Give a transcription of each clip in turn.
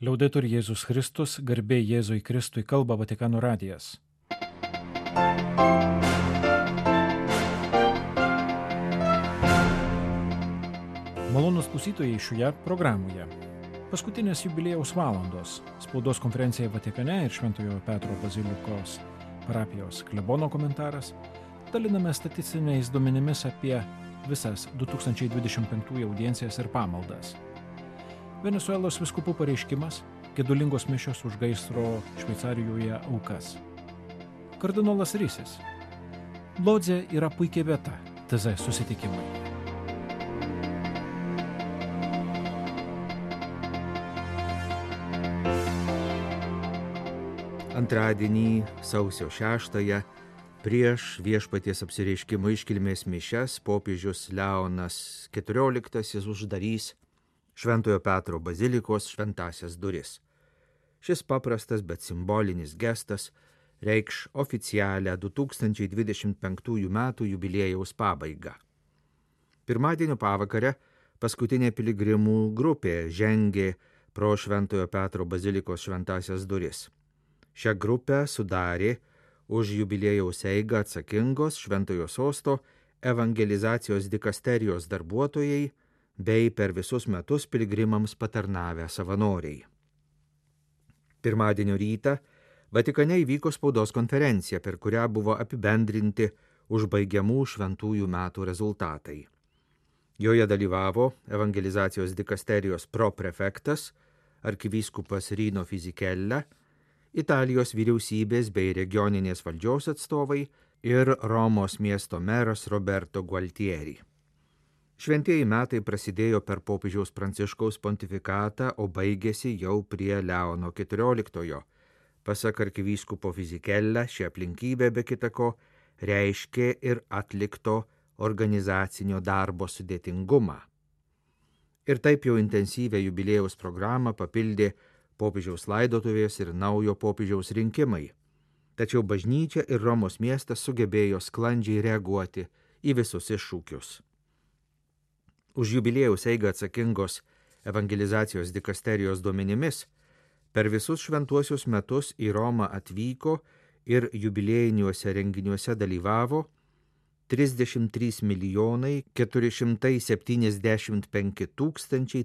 Liaudetur Jėzus Kristus, garbė Jėzui Kristui, kalba Vatikano radijas. Malonūs klausytojai šioje programoje. Paskutinės jubiliejaus valandos. Spaudos konferencija Vatikane ir Šventojo Petro bazilikos parapijos klebono komentaras. Daliname statistiniais duomenimis apie visas 2025 audiencijas ir pamaldas. Venesuelos vyskupų pareiškimas, gedulingos mišios už gaisro Šveicarijoje aukas. Kardinolas Risis. Lodzė yra puikia vieta TZ susitikimai. Antradienį, sausio 6-ąją, prieš viešpaties apsireiškimo iškilmės mišias popiežius Leonas XIV uždarys Šventojo Petro bazilikos šventąsias duris. Šis paprastas, bet simbolinis gestas reikš oficialią 2025 metų jubiliejaus pabaigą. Pirmadienio pavakare paskutinė piligrimų grupė žengė pro Šventojo Petro bazilikos šventąsias duris. Šią grupę sudarė už jubiliejaus eigą atsakingos Šventojo sosto evangelizacijos dikasterijos darbuotojai bei per visus metus piligrimams patarnavę savanoriai. Pirmadienio rytą Vatikane įvyko spaudos konferencija, per kurią buvo apibendrinti užbaigiamų šventųjų metų rezultatai. Joje dalyvavo evangelizacijos dikasterijos proprefektas, arkivyskupas Rino Fisichella, Italijos vyriausybės bei regioninės valdžios atstovai ir Romos miesto meras Roberto Gualtieri. Šventieji metai prasidėjo per popiežiaus Pranciškaus pontifikatą, o baigėsi jau prie Leono XIV. Pasak arkivyskupo Fisichella, ši aplinkybė be kitako reiškė ir atlikto organizacinio darbo sudėtingumą. Ir taip jau intensyvę jubiliejaus programą papildė popiežiaus laidotuvės ir naujo popiežiaus rinkimai. Tačiau bažnyčia ir Romos miestas sugebėjo sklandžiai reaguoti į visus iššūkius. Už jubiliejaus eigą atsakingos evangelizacijos dikasterijos duomenimis, per visus šventuosius metus į Romą atvyko ir jubiliejiniuose renginiuose dalyvavo 33 475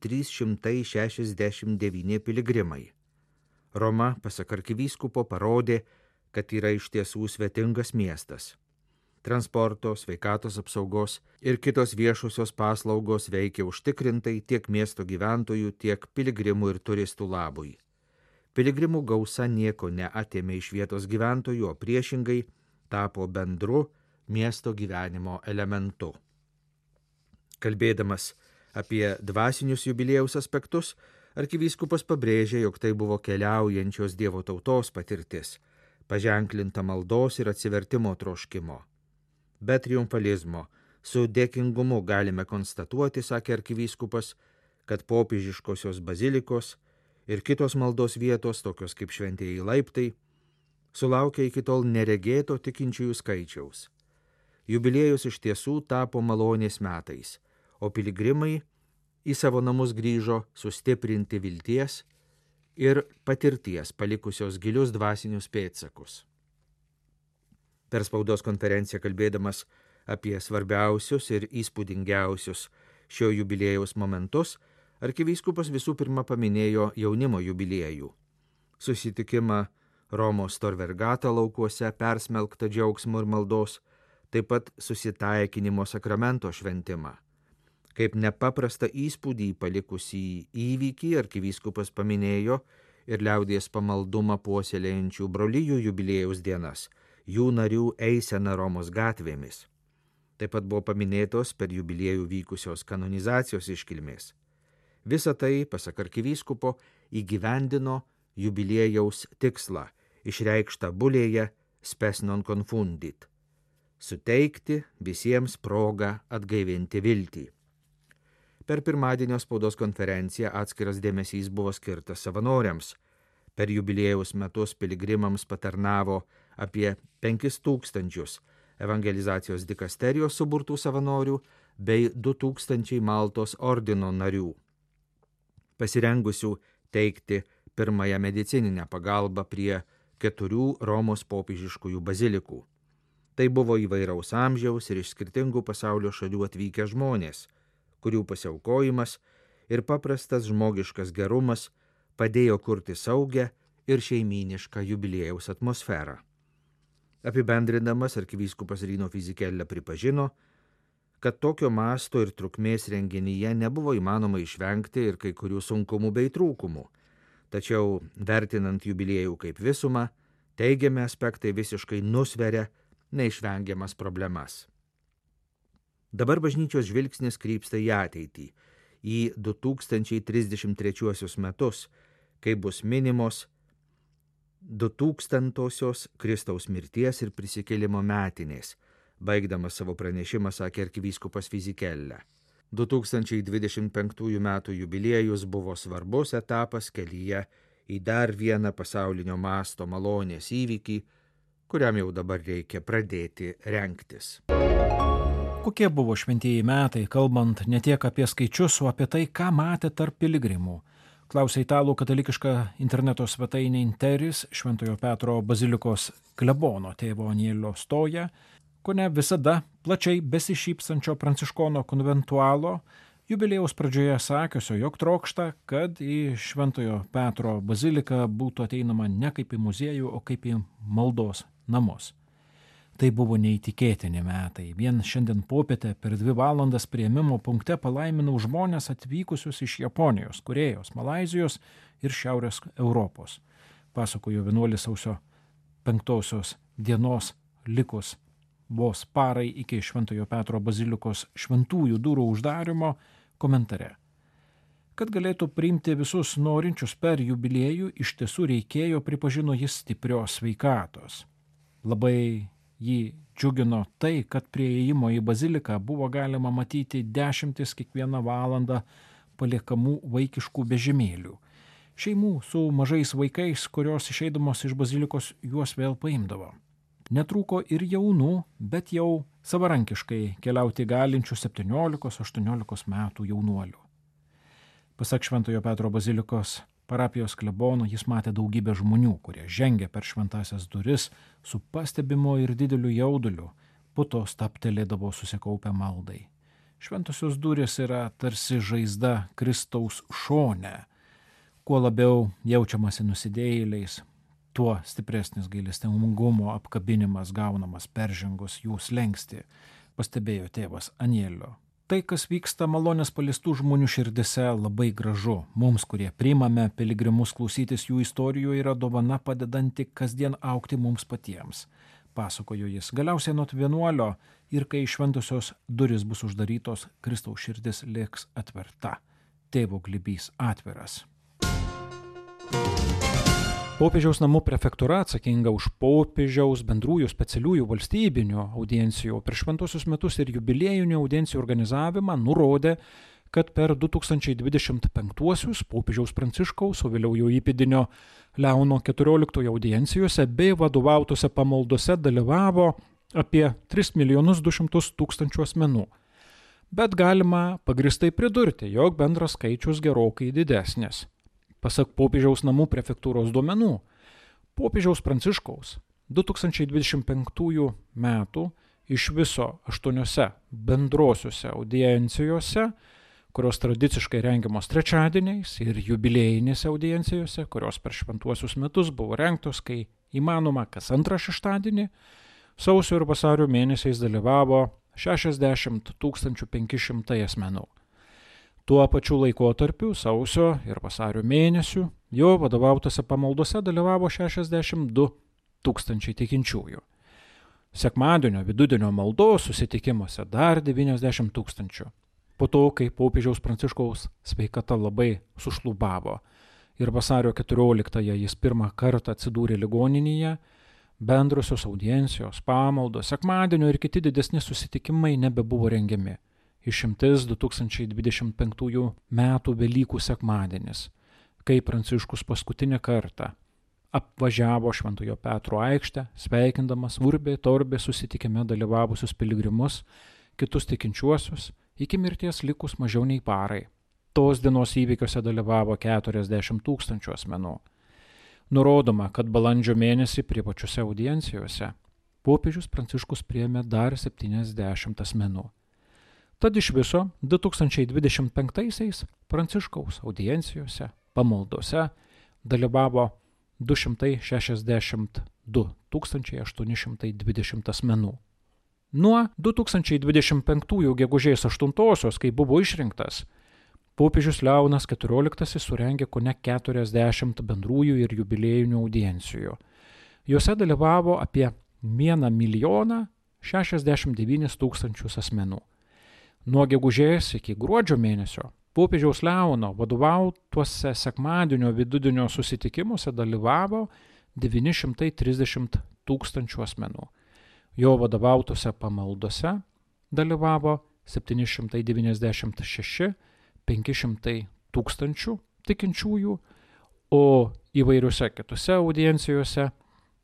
369 piligrimai. Roma, pasak arkivyskupo, parodė, kad yra iš tiesų svetingas miestas. Transporto, sveikatos apsaugos ir kitos viešosios paslaugos veikia užtikrintai tiek miesto gyventojų, tiek piligrimų ir turistų labui. Piligrimų gausa nieko neatėmė iš vietos gyventojų, o priešingai tapo bendru miesto gyvenimo elementu. Kalbėdamas apie dvasinius jubiliejaus aspektus, arkivyskupas pabrėžė, jog tai buvo keliaujančios Dievo tautos patirtis, paženklinta maldos ir atsivertimo troškimo. Be triumfalizmo, su dėkingumu galime konstatuoti, sakė arkivyskupas, kad popiežiškosios bazilikos ir kitos maldos vietos, tokios kaip šventieji laiptai, sulaukia iki tol neregėto tikinčiųjų skaičiaus. Jubiliejus iš tiesų tapo malonės metais, o piligrimai į savo namus grįžo sustiprinti vilties ir patirties, palikusios gilius dvasinius pėdsakus. Per spaudos konferenciją kalbėdamas apie svarbiausius ir įspūdingiausius šio jubiliejaus momentus, arkivyskupas visų pirma paminėjo jaunimo jubiliejų. Susitikimą Romos Tor Vergata laukuose persmelktą džiaugsmo ir maldos, taip pat susitaikinimo sakramento šventimą. Kaip nepaprastą įspūdį palikusį įvykį arkivyskupas paminėjo ir liaudies pamaldumą puoselėjančių brolijų jubiliejaus dienas, jų narių eisena Romos gatvėmis. Taip pat buvo paminėtos per jubiliejų vykusios kanonizacijos iškilmės. Visa tai, pasak arkivyskupo, įgyvendino jubiliejaus tikslą, išreikštą bulėje spes non confundit – suteikti visiems progą atgaivinti viltį. Per pirmadienio spaudos konferenciją atskiras dėmesys buvo skirtas savanoriams. Per jubiliejaus metus piligrimams patarnavo apie 5000 evangelizacijos dikasterijos suburtų savanorių bei 2000 Maltos ordino narių, pasirengusių teikti pirmąją medicininę pagalbą prie 4 Romos popiežiškųjų bazilikų. Tai buvo įvairaus amžiaus ir iš skirtingų pasaulio šalių atvykę žmonės, kurių pasiaukojimas ir paprastas žmogiškas gerumas padėjo kurti saugią ir šeimynišką jubiliejaus atmosferą. Apibendrindamas arkivyskupas Rino Fisichella pripažino, kad tokio masto ir trukmės renginyje nebuvo įmanoma išvengti ir kai kurių sunkumų bei trūkumų, tačiau vertinant jubiliejų kaip visumą, teigiami aspektai visiškai nusveria neišvengiamas problemas. Dabar bažnyčios žvilgsnis krypsta į ateitį, į 2033 metus, kai bus minimos 2000-osios Kristaus mirties ir prisikėlimo metinės. Baigdamas savo pranešimą sakė arkivyskupas Fisichella. 2025 metų jubiliejus buvo svarbus etapas kelyje į dar vieną pasaulinio masto malonės įvykį, kuriam jau dabar reikia pradėti rengtis. Kokie buvo šventieji metai, kalbant ne tiek apie skaičius, o apie tai, ką matė tarp piligrimų? Klausė italų katalikiška interneto svetainė Interis Šventojo Petro bazilikos klebono tėvo Anielio Stoja, kone visada plačiai besišypsančio pranciškono konventualo, jubiliejaus pradžioje sakiusio, jog trokšta, kad į Šventojo Petro baziliką būtų ateinama ne kaip į muziejų, o kaip į maldos namus. Tai buvo neįtikėtini metai. Vien šiandien popietę per 2 valandas priėmimo punkte palaiminau žmonės atvykusius iš Japonijos, Korėjos, Malaizijos ir Šiaurės Europos. Pasakojo vienuolis sausio 5 dienos likus vos parai iki Šventojo Petro bazilikos šventųjų durų uždarimo komentare. Kad galėtų priimti visus norinčius per jubiliejų, iš tiesų reikėjo, pripažino jis, stiprios sveikatos. Labai jį džiugino tai, kad prie įėjimo į baziliką buvo galima matyti 10 kiekvieną valandą paliekamų vaikiškų vežimėlių. Šeimų su mažais vaikais, kurios išeidamos iš bazilikos juos vėl paimdavo. Netrūko ir jaunų, bet jau savarankiškai keliauti galinčių 17-18 metų jaunuolių. Pasak Šventojo Petro bazilikos parapijos klebono, jis matė daugybę žmonių, kurie žengė per šventasias duris su pastebimo ir dideliu jauduliu, po to staptelėdavo susikaupę maldai. Šventosios durys yra tarsi žaizda Kristaus šone. Kuo labiau jaučiamasi nusidėjėliais, tuo stipresnis gailestingumo apkabinimas gaunamas peržengus jų slenkstį, pastebėjo tėvas Anielio. Tai, kas vyksta malonės paliestų žmonių širdise, labai gražu. Mums, kurie priimame piligrimus klausytis jų istorijų, yra dovana padedanti kasdien augti mums patiems. Pasakojo jis. Galiausiai nuo vienuolio ir kai šventosios duris bus uždarytos, Kristaus širdis liks atverta. Tėvo glėbys atviras. Popiežiaus namų prefektūra atsakinga už popiežiaus bendrųjų specialiųjų valstybinių audiencijų per šventuosius metus ir jubiliejinių audiencijų organizavimą nurodė, kad per 2025 popiežiaus Pranciškaus, o vėliau jo įpėdinio Leono XIV audiencijose bei vadovautose pamaldose dalyvavo apie 3 200 000 asmenų. Bet galima pagristai pridurti, jog bendras skaičius gerokai didesnis. Pasak popiežiaus namų prefektūros duomenų, popiežiaus Pranciškaus 2025 metų iš viso 8 bendrosiuose audiencijose, kurios tradiciškai rengiamos trečiadieniais, ir jubiliejinėse audiencijose, kurios per šventuosius metus buvo rengtos, kai įmanoma kas antrą šeštadienį, sausio ir vasario mėnesiais dalyvavo 60 500 asmenų. Tuo pačiu laikotarpiu, sausio ir vasario mėnesių, jo vadovautose pamaldose dalyvavo 62 000 tikinčiųjų. Sekmadienio vidudienio maldos susitikimuose dar 90 000. Po to, kai popiežiaus Pranciškaus sveikata labai sušlubavo ir vasario 14-ąją jis pirmą kartą atsidūrė ligoninėje, bendrosios audiencijos, pamaldos, sekmadienio ir kiti didesni susitikimai nebebuvo rengiami. Išimtis 2025 metų Velykų sekmadienis, kai Pranciškus paskutinį kartą apvažiavo Šventojo Petro aikštę, sveikindamas Urbė Torbė susitikime dalyvavusius piligrimus, kitus tikinčiuosius, iki mirties likus mažiau nei parai. Tos dienos įvykiuose dalyvavo 40 000 asmenų. Nurodoma, kad balandžio mėnesį privačiose audiencijose popiežius Pranciškus priėmė dar 70 asmenų. Tad iš viso 2025-aisiais Pranciškaus audiencijose, pamaldose dalyvavo 262 820 asmenų. Nuo 2025 gegužės 8-osios, kai buvo išrinktas, popiežius Leonas XIV surengė kone 40 bendrųjų ir jubiliejinių audiencijų. Jose dalyvavo apie 1 069 000 asmenų. Nuo gegužės iki gruodžio mėnesio popiežiaus Leono vadovautuose sekmadienio vidudienio susitikimuose dalyvavo 930 000 asmenų. Jo vadovautose pamaldose dalyvavo 796 500 000 tikinčiųjų, o įvairiuose kitose audiencijose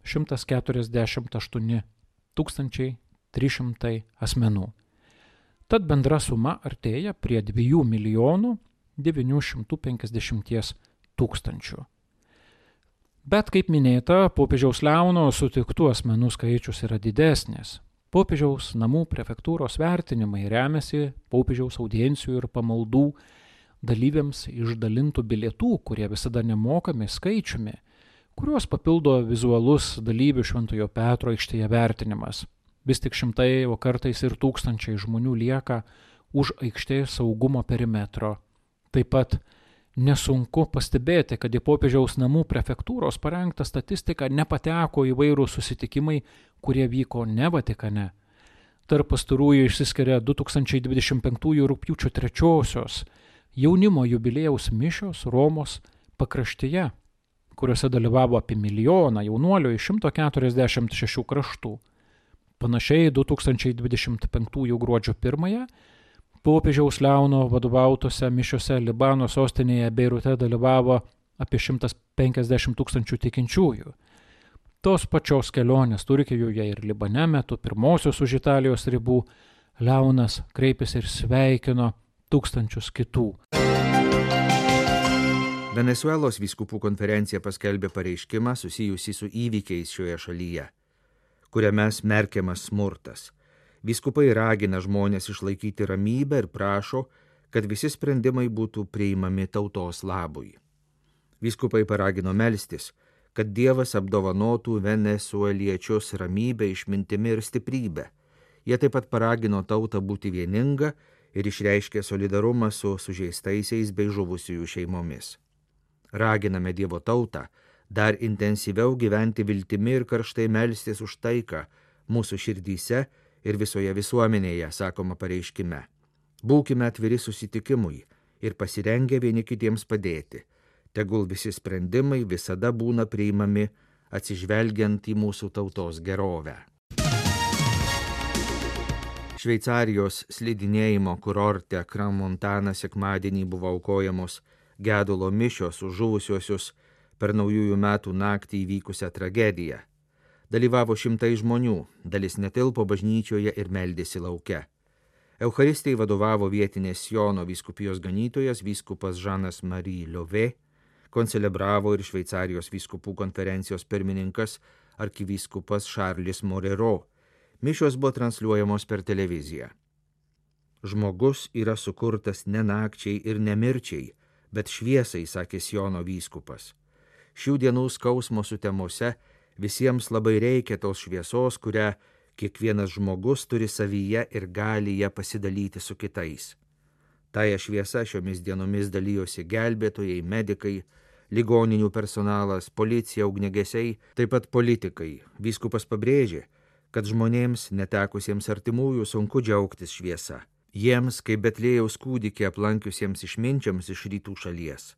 148 300 asmenų. Tad bendra suma artėja prie 2 950 000. Bet, kaip minėta, popiežiaus Leono sutiktų asmenų skaičius yra didesnis. Popiežiaus namų prefektūros vertinimai remiasi popiežiaus audiencijų ir pamaldų dalyviams išdalintų bilietų, kurie visada nemokami, skaičiumi, kuriuos papildo vizualus dalyvių Šventojo Petro aikštėje vertinimas. Vis tik šimtai, o kartais ir tūkstančiai žmonių lieka už aikštės saugumo perimetro. Taip pat nesunku pastebėti, kad į popiežiaus namų prefektūros parengtą statistiką nepateko įvairūs susitikimai, kurie vyko ne Vatikane. Tarp pastarųjų išsiskiria 2025 rugpjūčio 3 jaunimo jubiliejaus mišios Romos pakraštyje, kuriuose dalyvavo apie 1 milijoną jaunuolių iš 146 kraštų. Panašiai 2025 gruodžio 1 popiežiaus Leono vadovautose mišiose Libano sostinėje Beirute dalyvavo apie 150 000 tikinčiųjų. Tos pačios kelionės Turkijoje ir Libane metu pirmosios už Italijos ribų Leonas kreipėsi ir sveikino tūkstančius kitų. Venesuelos vyskupų konferencija paskelbė pareiškimą susijusį su įvykiais šioje šalyje, kuriame smerkiamas smurtas. Vyskupai ragina žmonės išlaikyti ramybę ir prašo, kad visi sprendimai būtų priimami tautos labui. Vyskupai paragino melstis, kad Dievas apdovanotų venesueliečius ramybę, išmintimi ir stiprybę. Jie taip pat paragino tautą būti vieninga ir išreiškė solidarumą su sužeistaisiais bei žuvusiųjų šeimomis. Raginame Dievo tautą dar intensyviau gyventi viltimi ir karštai melstis už taiką mūsų širdyse ir visoje visuomenėje, sakoma pareiškime. Būkime atviri susitikimui ir pasirengę vieni kitiems padėti. Tegul visi sprendimai visada būna priimami atsižvelgiant į mūsų tautos gerovę. Šveicarijos slidinėjimo kurorte Crans-Montana sekmadienį buvo aukojamos gedulo mišios už žuvusiuosius per naujųjų metų naktį įvykusią tragediją. Dalyvavo šimtai žmonių, dalis netilpo bažnyčioje ir meldėsi lauke. Eucharistijai vadovavo vietinės Siono vyskupijos ganytojas vyskupas Žanas Marie Liovė, koncelebravo ir Šveicarijos vyskupų konferencijos pirmininkas arkivyskupas Charles Morero. Mišios buvo transliuojamos per televiziją. Žmogus yra sukurtas ne nakčiai ir ne mirčiai, bet šviesai, sakė Siono vyskupas. Šių dienų skausmo sutemose visiems labai reikia tos šviesos, kurią kiekvienas žmogus turi savyje ir gali ją pasidalyti su kitais. Taja šviesa šiomis dienomis dalyjosi gelbėtojai, medikai, ligoninių personalas, policija, ugniagesiai, taip pat politikai. Vyskupas pabrėžė, kad žmonėms netekusiems artimųjų sunku džiaugtis šviesa. Jiems, kaip Betlėjaus kūdikį aplankiusiems išminčiams iš rytų šalies.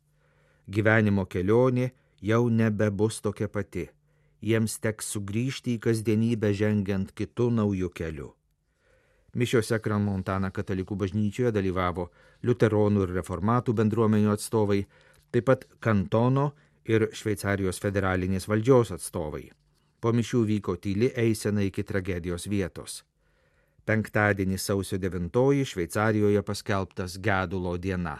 Gyvenimo kelionė jau nebebus tokia pati. Jiems teks sugrįžti į kasdienybę žengiant kitų naujų kelių. Mišiose Crans-Montana katalikų bažnyčioje dalyvavo liuteronų ir reformatų bendruomenių atstovai, taip pat kantono ir Šveicarijos federalinės valdžios atstovai. Po mišių vyko tyli eisena iki tragedijos vietos. Penktadienį sausio 9 Šveicarijoje paskelbtas gedulo diena.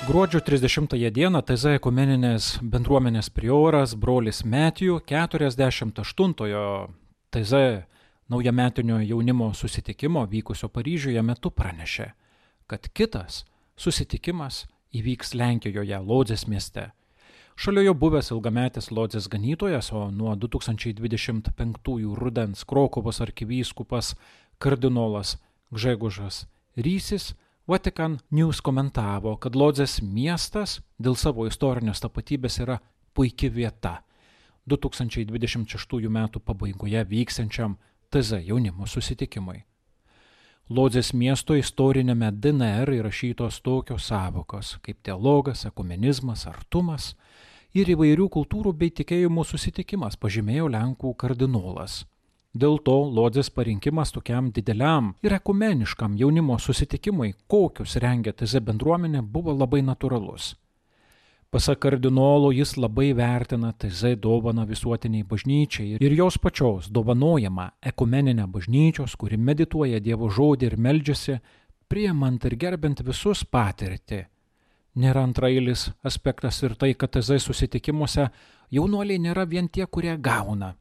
Gruodžio 30 dieną TZ ekumeninės bendruomenės prioras brolis Metijų 48-ojo TZ naujametinio jaunimo susitikimo vykusio Paryžiuje metu pranešė, kad kitas susitikimas įvyks Lenkijoje, Lodzės mieste. Šalia jo buvęs ilgametis Lodzės ganytojas, o nuo 2025 rudens Krokuvos arkivyskupas kardinolas Gžegožas Rysis Vatican News komentavo, kad Lodzės miestas dėl savo istorinės tapatybės yra puiki vieta 2026 metų pabaigoje vyksiančiam TZ jaunimo susitikimui. Lodzės miesto istorinėme DNR įrašytos tokios sąvokos kaip dialogas, ekumenizmas, artumas ir įvairių kultūrų bei tikėjimų susitikimas, pažymėjo Lenkų kardinolas. Dėl to Lodzės parinkimas tokiam dideliam ir ekumeniškam jaunimo susitikimui, kokius rengia TZ bendruomenė, buvo labai natūralus. Pasak kardinolo, jis labai vertina TZ dovaną visuotiniai bažnyčiai ir jos pačios dovanojamą ekumeninę bažnyčios, kuri medituoja Dievo žodį ir meldžiasi, priimant ir gerbent visus patirtį. Nėra antrailis aspektas ir tai, kad TZ susitikimuose jaunuoliai nėra vien tie, kurie gauna.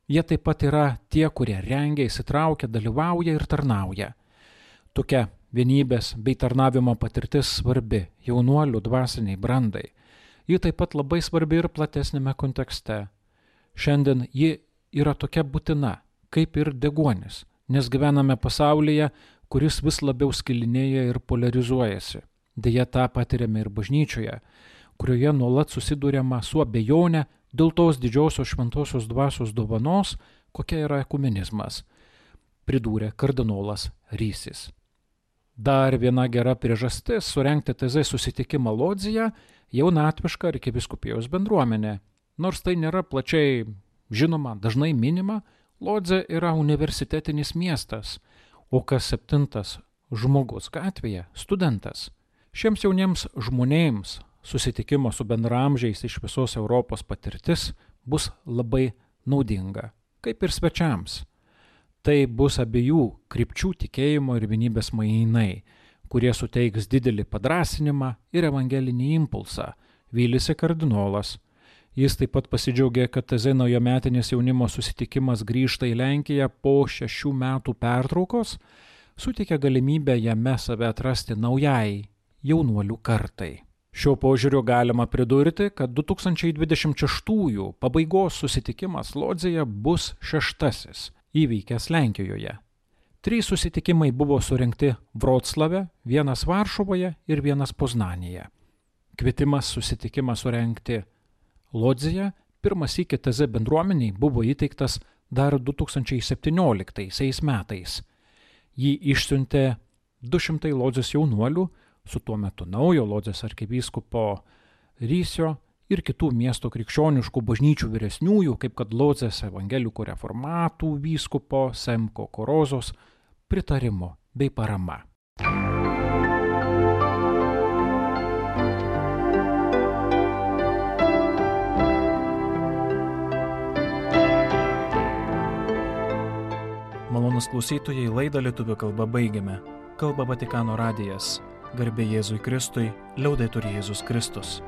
Jie taip pat yra tie, kurie rengia, įsitraukia, dalyvauja ir tarnauja. Tokia vienybės bei tarnavimo patirtis svarbi jaunuolių dvasiniai brandai. Ji taip pat labai svarbi ir platesnėme kontekste. Šiandien ji yra tokia būtina, kaip ir deguonis, nes gyvename pasaulyje, kuris vis labiau skilinėja ir polarizuojasi. Deja, tą patiriame ir bažnyčioje, kurioje nuolat susiduriama su abejone dėl tos didžiosios šventosios dvasios dovanos, kokia yra ekumenizmas, pridūrė kardinolas Rysis. Dar viena gera priežastis surengti TZ susitikimą Lodzėje jaunatviška arkivyskupijos bendruomenė. Nors tai nėra plačiai žinoma, dažnai minima, Lodzė yra universitetinis miestas, o kas 7 žmogus gatvėje – studentas. Šiems jauniems žmonėms susitikimo su bendraamžiais iš visos Europos patirtis bus labai naudinga, kaip ir svečiams. Tai bus abiejų krypčių tikėjimo ir vienybės mainai, kurie suteiks didelį padrąsinimą ir evangelinį impulsą, vylėsi kardinolas. Jis taip pat pasidžiaugė, kad TZ naujametinis jaunimo susitikimas grįžta į Lenkiją po 6 metų pertraukos, suteikia galimybę jame save atrasti naujai jaunuolių kartai. Šiuo požiūriu galima pridurti, kad 2026 pabaigos susitikimas Lodzėje bus 6. įvykęs Lenkijoje. 3 susitikimai buvo surengti Vroclave, 1 Varšuvoje ir 1 Poznanėje. Kvietimas susitikimą surengti Lodzėje pirmąsyk TZ bendruomeniai buvo įteiktas dar 2017 metais. Jį išsiuntė 200 Lodzės jaunuolių, su tuo metu naujo Lodzės arkivyskupo Rysio ir kitų miesto krikščioniškų bažnyčių vyresniųjų, kaip kad Lodzės evangelikų reformatų vyskupo Semko Korozos pritarimo bei parama. Malonūs klausytojai, laidą lietuvių kalba baigiame. Kalba Vatikano radijas. Garbė Jėzui Kristui, liaudetur Jėzus Kristus.